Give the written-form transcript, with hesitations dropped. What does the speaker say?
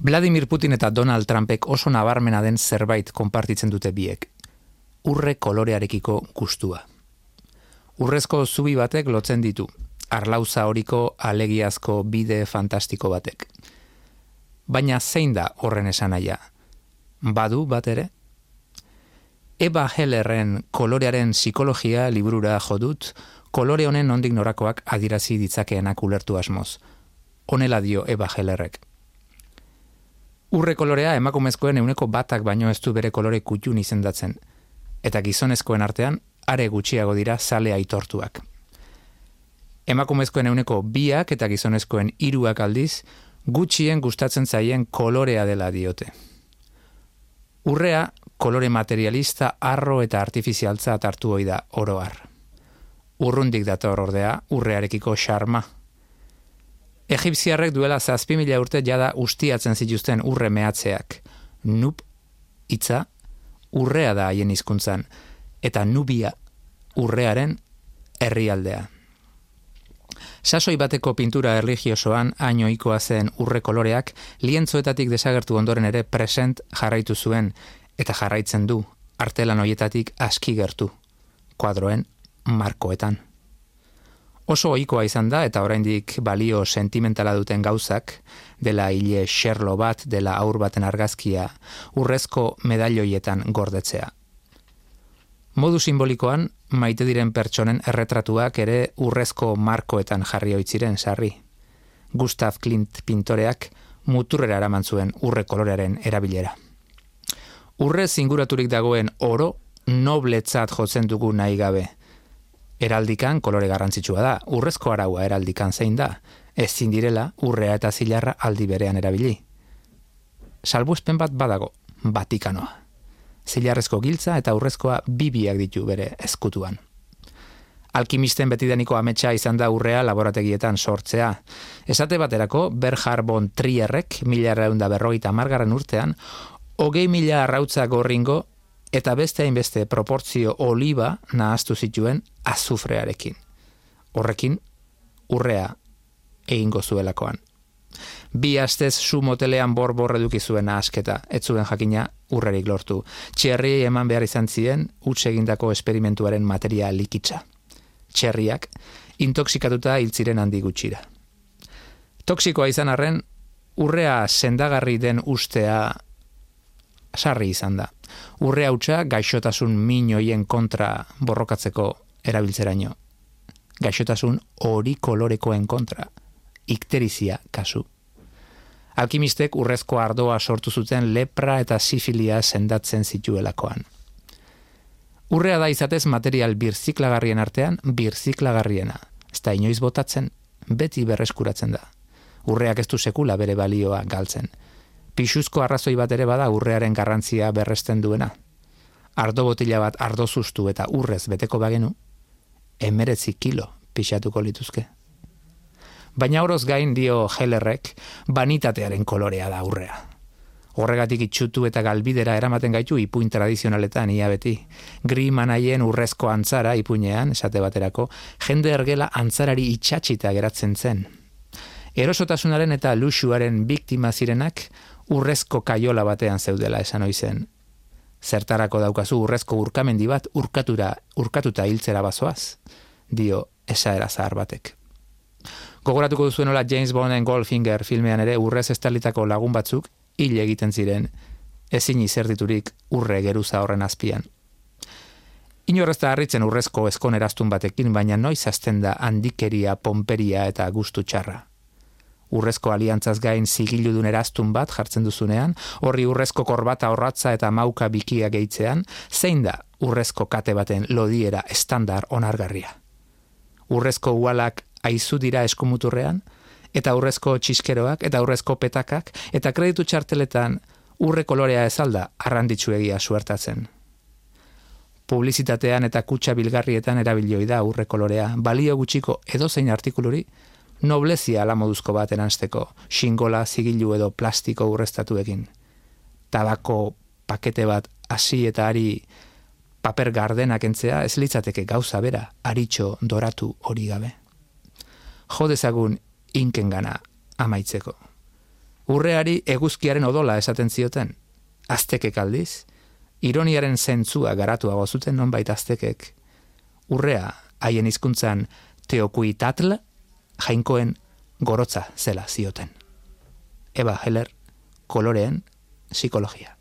Vladimir Putin eta Donald Trumpek oso nabarmena den zerbait konpartitzen dute biek. Urre kolorearekiko gustua. Urrezko zubi batek lotzen ditu, arlauza horiko alegiazko bide fantastiko batek. Baina zein da horren esanaia? Badu bat ere? Eva Hellerren kolorearen psikologia liburura jodut, kolore honen nondik norakoak adirazi ditzakeenak ulertu asmoz. Honela dio Eva Hellerrek. Urre kolorea emakumezkoen 1% baino ez du bere kolore kutxun izendatzen, eta gizonezkoen artean are gutxiago dira zale aitortuak. Emakumezkoen 2% eta gizonezkoen 3% aldiz, gutxien gustatzen zaien kolorea dela diote. Urrea kolore materialista, arro eta artifizialtza hartu ohi da oro har. Urrundik dator ordea urrearekiko xarma. Egipziarrek duela 7.000 urte jada ustiatzen zituzten urre mehatzeak. Nub hitza urrea da haien hizkuntzan, eta Nubia urrearen herrialdea. Sasoi bateko pintura erlijiosoan hain ohikoa zen urre koloreak lientzoetatik desagertu ondoren ere present jarraitu zuen, eta jarraitzen du, artelan hoietatik aski gertu, kuadroen markoetan. Oso ohikoa izan da eta oraindik balio sentimentala duten gauzak, dela hile xerlo bat, dela haur baten argazkia, urrezko medalloietan gordetzea. Modu simbolikoan, maite diren pertsonen erretratuak ere urrezko markoetan jarri oitziren sarri. Gustav Klimt pintoreak muturrera eraman zuen urre kolorearen erabilera. Urrez inguraturik dagoen oro nobletzat jotzen dugu nahi gabe. Heraldikan kolore garrantzitsua da, urrezko araua heraldikan zein da, ezin direla urrea eta zilarra aldi berean erabili. Salbuespen bat badago, Vatikanoa. Zilarrezko giltza eta urrezkoa biak ditu bere ezkutuan. Alkimisten betidaniko ametsa izan da urrea laborategietan sortzea. Esate baterako, Bernhard von Trierrek 1950 urtean, 20.000 arrautza gorringo eta beste hainbeste proportzio oliba nahaztu zituen azufrearekin. Horrekin, urrea egingo zuelakoan. 2 astez su motelean bor eduki zuen nahasketa, ez zuen jakina urrerik lortu. Txerriei eman behar izan zien, huts egindako esperimentuaren materia likitza. Txerriak, intoxikatuta hiltziren handi gutxira. Toxikoa izan arren, urrea sendagarri den ustea sarri izan da. Urre hautsa gaixotasun min hoien kontra borrokatzeko erabiltzeraino. Gaixotasun hori kolorekoen kontra. Ikterizia kasu. Alkimistek urrezko ardoa sortu zuten lepra eta sifilia sendatzen zituelakoan. Urrea da izatez material birziklagarrien artean birziklagarriena. Ez da inoiz botatzen, beti berreskuratzen da. Urreak ez du sekula bere balioa galtzen. Pixuzko arrazoi bat ere bada urrearen garrantzia berresten duena. Ardo botila bat ardo zuztu eta urrez beteko bagenu, 19 kilo pixatuko lituzke. Baina oroz gain dio Hellerrek, banitatearen kolorea da urrea. Horregatik itxutu eta galbidera eramaten gaitu ipuin tradizionaletan ia beti. Grimanaien urrezko antzara ipuinean, esate baterako, jende ergela antzarari itxatxita geratzen zen. Erosotasunaren eta luxuaren biktima zirenak urrezko kaiola batean zeudela esan oizen. Zertarako daukazu urrezko urkamendi bat urkatuta hiltzera bazoaz, dio esaera zahar batek. Gogoratuko duzuen nola James Bonden Goldfinger filmean ere urrez estalitako lagun batzuk hil egiten ziren, ezin izerditurik urre geruza horren azpian. Inorrez da harritzen urrezko eskoneraztun batekin, baina noiz hasten da handikeria, pomperia eta gustu txarra. Urrezko aliantzaz gain zigiludun eraztun bat jartzen duzunean, horri urrezko korbata horratza eta mauka bikia gehitzean, zein da urrezko kate baten lodiera estandar onargarria. Urrezko ualak aizu dira eskumuturrean, eta urrezko txiskeroak, eta urrezko petakak, eta kreditu txarteletan urre kolorea ezalda arranditsuegia suertatzen. Publizitatean eta kutxa bilgarrietan erabilioi da urre kolorea, balio gutxiko edozein artikuluri, noblezia alamoduzko bat eransteko, xingola, zigilu edo plastiko urreztatuekin. Tabako pakete bat hasi eta ari paper gardenak entzea ez litzateke gauza bera, aritxo doratu hori gabe. Jo dezagun inkengana amaitzeko. Urreari eguzkiaren odola esaten zioten, aztekek aldiz, ironiaren zentzua garatuago zuten nonbait aztekek. Urrea haien hizkuntzan teokuitatl, jainkoen gorotza zela zioten. Eva Heller, koloreen psikologia.